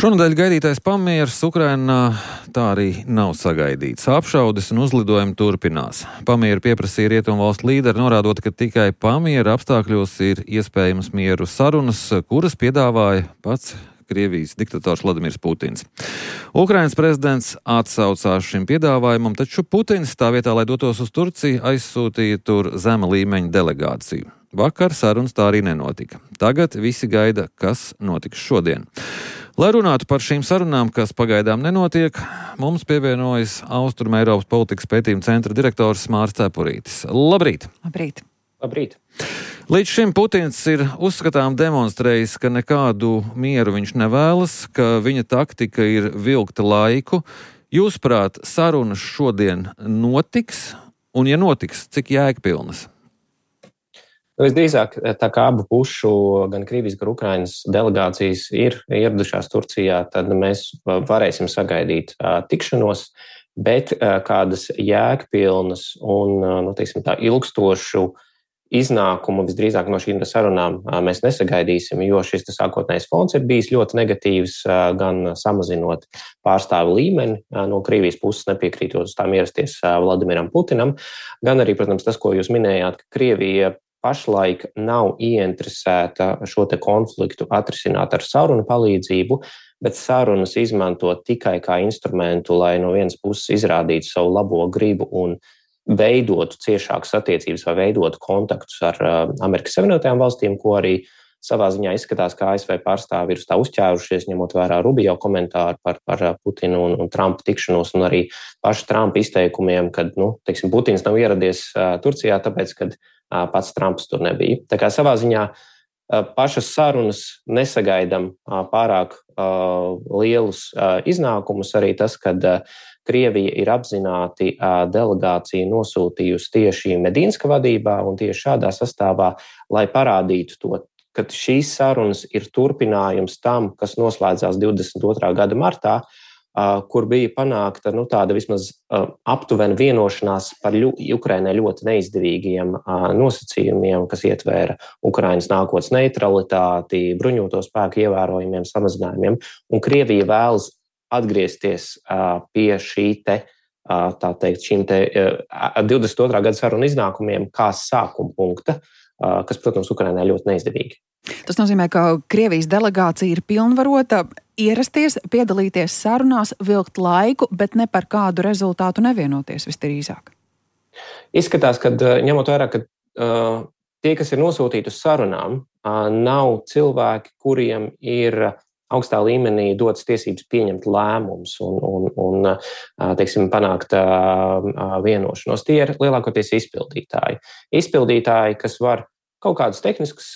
Šonadēļ gaidītais pamieris Ukrainā tā arī nav sagaidīts. Apšaudes un uzlidojumi turpinās. Pamieru pieprasīja rietumvalstu līderi, norādot, ka tikai pamiera apstākļos ir iespējamas mieru sarunas, kuras piedāvāja pats Krievijas diktators Vladimirs Putins. Ukrainas prezidents atsaucās šim piedāvājumam, taču Putins tā vietā, lai dotos uz Turciju, aizsūtīja tur zema līmeņa delegāciju. Vakar sarunas tā arī nenotika. Tagad visi gaida, kas notiks šodien. Lai runātu par šīm sarunām, kas pagaidām nenotiek, mums pievienojas Austruma Eiropas politikas pētījuma centra direktors Māris Cepurītis. Labrīt! Labrīt! Labrīt! Līdz šim Putins ir uzskatām demonstrējis, ka nekādu mieru viņš nevēlas, ka viņa taktika ir vilkt laiku. Jūsuprāt, sarunas šodien notiks? Un, ja notiks, cik jēgpilnas? Visdrīzāk, tā kā abu pušu, gan Krievijas, gan Ukrainas delegācijas ir ieradušās Turcijā, tad mēs varēsim sagaidīt tikšanos, bet kādas jēgpilnas un, tā ilgstošu iznākumu visdrīzāk no šīm sarunām mēs nesagaidīsim, jo šis sākotnējais fons ir bijis ļoti negatīvs, gan samazinot pārstāvu līmeni no Krievijas puses, nepiekrītot uz tām ierasties Vladimiram Putinam, gan arī, protams, tas, ko jūs minējāt, ka Krievija pašlaik nav ieinteresēta šo te konfliktu atrisināt ar sarunu palīdzību, bet sarunas izmanto tikai kā instrumentu, lai no vienas puses izrādītu savu labo gribu un veidotu ciešākas attiecības vai veidotu kontaktus ar Amerikas Savienotajām valstīm, ko arī savā ziņā izskatās, ka ASV pārstāvi ir uz tā uzķērušies, ņemot vērā Rubio komentāru par Putinu un Trumpa tikšanos un arī pašu Trumpa izteikumiem, kad, Putins nav ieradies Turcijā, tāpēc, kad pats Trumps tur nebija. Tā kā savā ziņā pašas sarunas nesagaidam pārāk lielus iznākumus, arī tas, kad Krievija ir apzināti delegāciju nosūtījusi tieši Medīnska vadībā un tieši šādā sastāvā, lai parādītu to, ka šīs sarunas ir turpinājums tam, kas noslēdzās 22. gada martā, kur bija panākta tāda vismaz aptuvena vienošanās par Ukrainai ļoti neizdevīgiem nosacījumiem, kas ietvēra Ukrainas nākotnes neutralitāti, bruņoto spēku ievērojumiem samazinājumiem, un Krievija vēlas atgriezties pie šīm 22. gada sarunu iznākumiem kā sākuma punkta, kas, protams, Ukrainai ļoti neizdevīgi. Tas nozīmē, ka Krievijas delegācija ir pilnvarota ierasties, piedalīties sarunās, vilkt laiku, bet ne par kādu rezultātu nevienoties visdrīzāk. Izskatās, ka ņemot vērā, ka tie, kas ir nosūtīti uz sarunām, nav cilvēki, kuriem ir augstā līmenī dotas tiesības pieņemt lēmumus un panākt vienošanos. Tie ir lielākoties izpildītāji. Izpildītāji, kas var kaut kādas tehniskas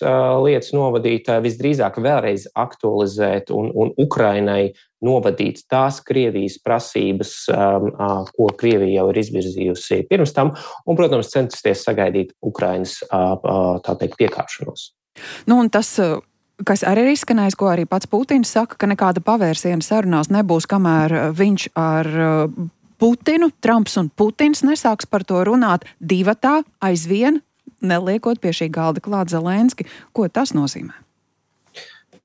lietas novadīt, visdrīzāk vēlreiz aktualizēt un Ukrainai novadīt tās Krievijas prasības, ko Krievija jau ir izvirzījusi pirms tam, un, protams, censties sagaidīt Ukrainas, piekāpšanos. Un tas, kas arī ir izskanējis, ko arī pats Putins saka, ka nekāda pavērsiena sarunās nebūs, kamēr viņš ar Putinu, Trumps un Putins nesāks par to runāt divatā aizvien, neliekot pie šī galda klāt Zelenski. Ko tas nozīmē?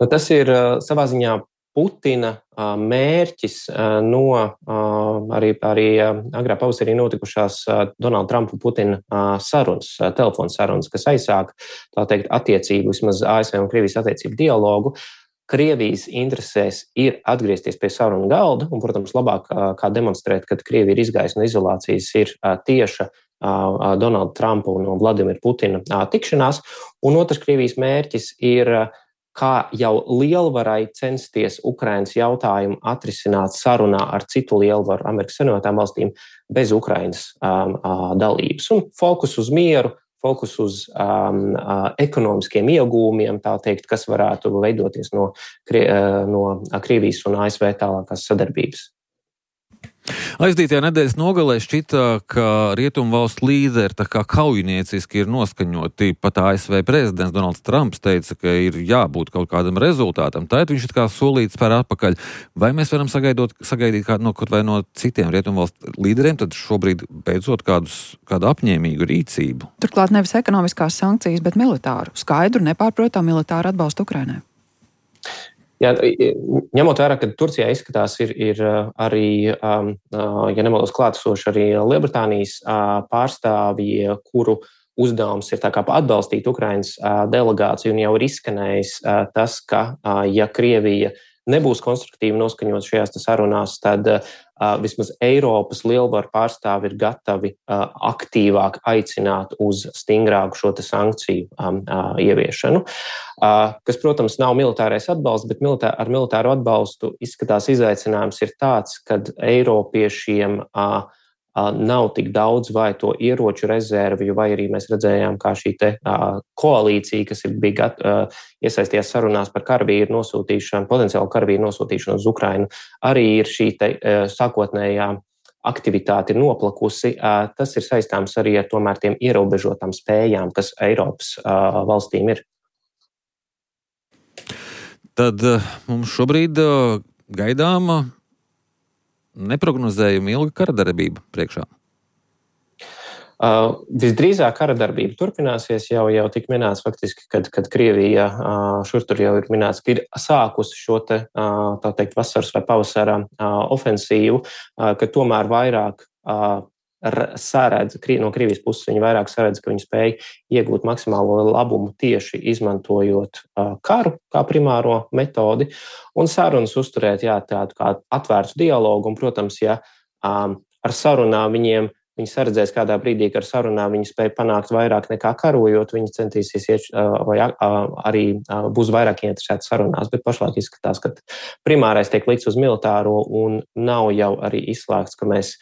Tas ir savā ziņā Putina mērķis no arī agrā pavasarī notikušās Donalda Trumpa un Putina sarunas, telefona sarunas, kas aizsāk, attiecību, vismaz ASV un Krievijas attiecību dialogu. Krievijas interesēs ir atgriezties pie sarunu galda, un, protams, labāk kā demonstrēt, kad Krievija ir izgājusi no izolācijas, ir tieša Donalda Trumpa un Vladimira Putina tikšanās. Un otrs Krievijas mērķis ir, kā jau lielvarai censties Ukrainas jautājumu atrisināt sarunā ar citu lielvaru Amerikas Savienotajām valstīm bez Ukrainas dalības. Un fokus uz mieru, fokus uz ekonomiskiem iegūmiem, kas varētu veidoties no Krievijas un ASV tālākās sadarbības. Aizdītajā nedēļas nogalē šķita, ka rietumvalstu līderi tā kā kaujinieciski ir noskaņoti. Pat ASV prezidents Donalds Trumps teica, ka ir jābūt kaut kādam rezultātam. Tad viņš kā solīts spēr atpakaļ. Vai mēs varam sagaidīt kaut vai no citiem rietumvalstu līderiem, tad šobrīd beidzot kādu apņēmīgu rīcību? Turklāt nevis ekonomiskās sankcijas, bet militāru. Skaidru, nepārprotamu militāru atbalstu Ukrainai. Jā, ņemot vērā, ka Turcijā izskatās ir arī, ja nemaldos, klātesoši arī Lielbritānijas pārstāvji, kuru uzdevums ir tā kā atbalstīt Ukrainas delegāciju, un jau ir izskanējis tas, ka, ja Krievija nebūs konstruktīvi noskaņot šajās sarunās, tad vismaz Eiropas lielvaru pārstāvi ir gatavi aktīvāk aicināt uz stingrāku šo sankciju ieviešanu, kas, protams, nav militārais atbalsts, bet ar militāru atbalstu izskatās izaicinājums ir tāds, kad Eiropiešiem nav tik daudz vai to ieroču rezervju, vai arī mēs redzējām, kā šī koalīcija, kas bija iesaistījās sarunās par karavīru nosūtīšanu, potenciālu karavīru nosūtīšanu uz Ukrainu, arī ir šī sākotnējā aktivitāte ir noplakusi. Tas ir saistāms arī ar tomēr tiem ierobežotām spējām, kas Eiropas valstīm ir. Tad mums šobrīd gaidāma neprognozējama ilga karadarbība priekšā. Visdrīzāk karadarbība turpināsies, jau tik minēts faktiski, kad Krievija šur tur jau ir minēts, ka ir sākusi šo tā teikt vasaras vai pavasara ofensīvu, ka tomēr vairāk saredz, no Krievijas puses viņi vairāk saredz, ka viņi spēj iegūt maksimālo labumu tieši izmantojot karu kā primāro metodi un sarunas uzturēt tādu kā atvērtu dialogu. Un, protams, ja ar sarunām viņi saredzēs kādā brīdī, ka ar sarunām viņi spēj panākt vairāk nekā karojot, viņi centīsies vai arī būs vairāk ieinteresēti sarunās, bet pašlaik izskatās, ka primārais tiek likts uz militāro un nav jau arī izslēgts, ka mēs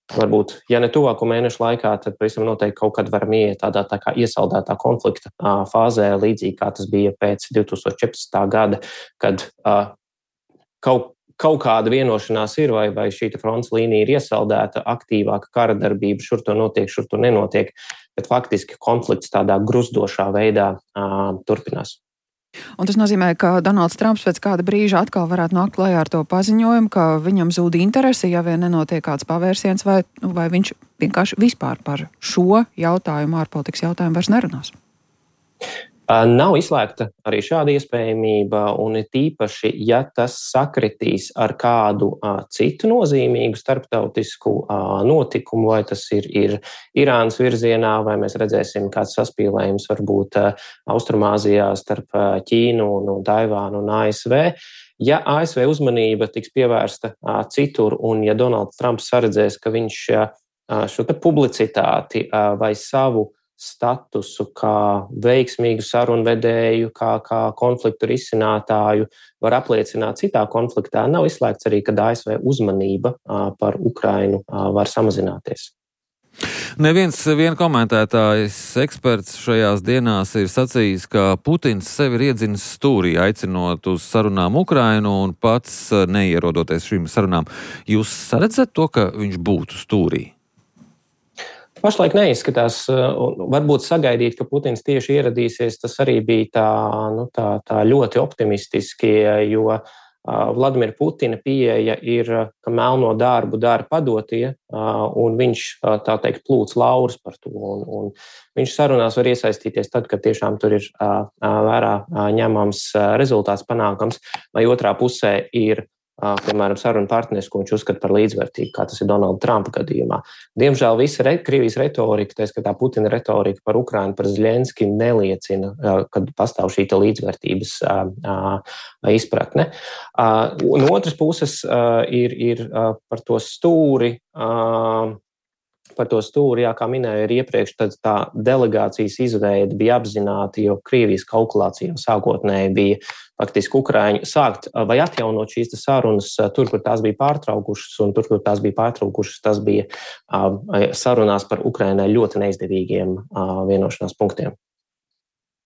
varbūt, ja ne tuvāko mēnešu laikā, tad pavisam noteikti kaut kad varam ieiet tādā tā kā iesaldētā konflikta fāzē, līdzīgi kā tas bija pēc 2014. gada, kad kaut kāda vienošanās ir, vai šī frontes līnija ir iesaldēta, aktīvāka kara darbība, šur to notiek, šur to nenotiek, bet faktiski konflikts tādā gruzdošā veidā turpinās. Un tas nozīmē, ka Donalds Trumps pēc kāda brīža atkal varētu nākt klajā ar to paziņojumu, ka viņam zūd interesi, ja vien nenotiek kāds pavērsiens, vai viņš vienkārši vispār par šo jautājumu, ārpolitikas jautājumu vairs nerunās. Nav izslēgta arī šāda iespējamība, un ir tīpaši, ja tas sakritīs ar kādu citu nozīmīgu starptautisku notikumu, vai tas ir Irānas virzienā, vai mēs redzēsim kāds saspīlējums varbūt Austrumāzijā starp Ķīnu un Taivānu un ASV. Ja ASV uzmanība tiks pievērsta citur, un ja Donalds Trumps saredzēs, ka viņš šo publicitāti vai savu statusu kā veiksmīgu sarunvedēju, kā konfliktu risinātāju var apliecināt citā konfliktā, nav izslēgts arī, ka ASV uzmanība par Ukrainu var samazināties. Viens komentētājs eksperts šajās dienās ir sacījis, ka Putins sevi ir iedzinis stūrī, aicinot uz sarunām Ukrainu un pats neierodoties šīm sarunām. Jūs saredzat to, ka viņš būtu stūrī? Pašlaik neizskatās, varbūt sagaidīt, ka Putins tieši ieradīsies, tas arī bija tā ļoti optimistiski, jo Vladimira Putina pieeja ir, ka melno darbu dara padotie, un viņš, tā teikt, plūc laurus par to, un viņš sarunās var iesaistīties tad, kad tiešām tur ir vērā ņemams rezultāts panākams, vai otrā pusē ir piemēram, sarunu partneris, ko viņš uzskata par līdzvērtīgu, kā tas ir Donalda Trumpa gadījumā. Diemžēl visa Krievijas retorika, tā skatā Putina retorika par Ukrainu, par Zeļenski neliecina, kad pastāv šī līdzvērtības izpratne. No otras puses ir par to stūri, kā minēju, ir iepriekš tā delegācijas izveide bija apzināta, jo Krievijas kalkulācija sākotnēji bija faktiski Ukraiņu sākt vai atjaunot šīs sarunas tur, kur tās bija pārtraukušas, un tur, kur tās bija pārtraukušas, tas bija sarunās par Ukrainai ļoti neizdevīgiem vienošanās punktiem.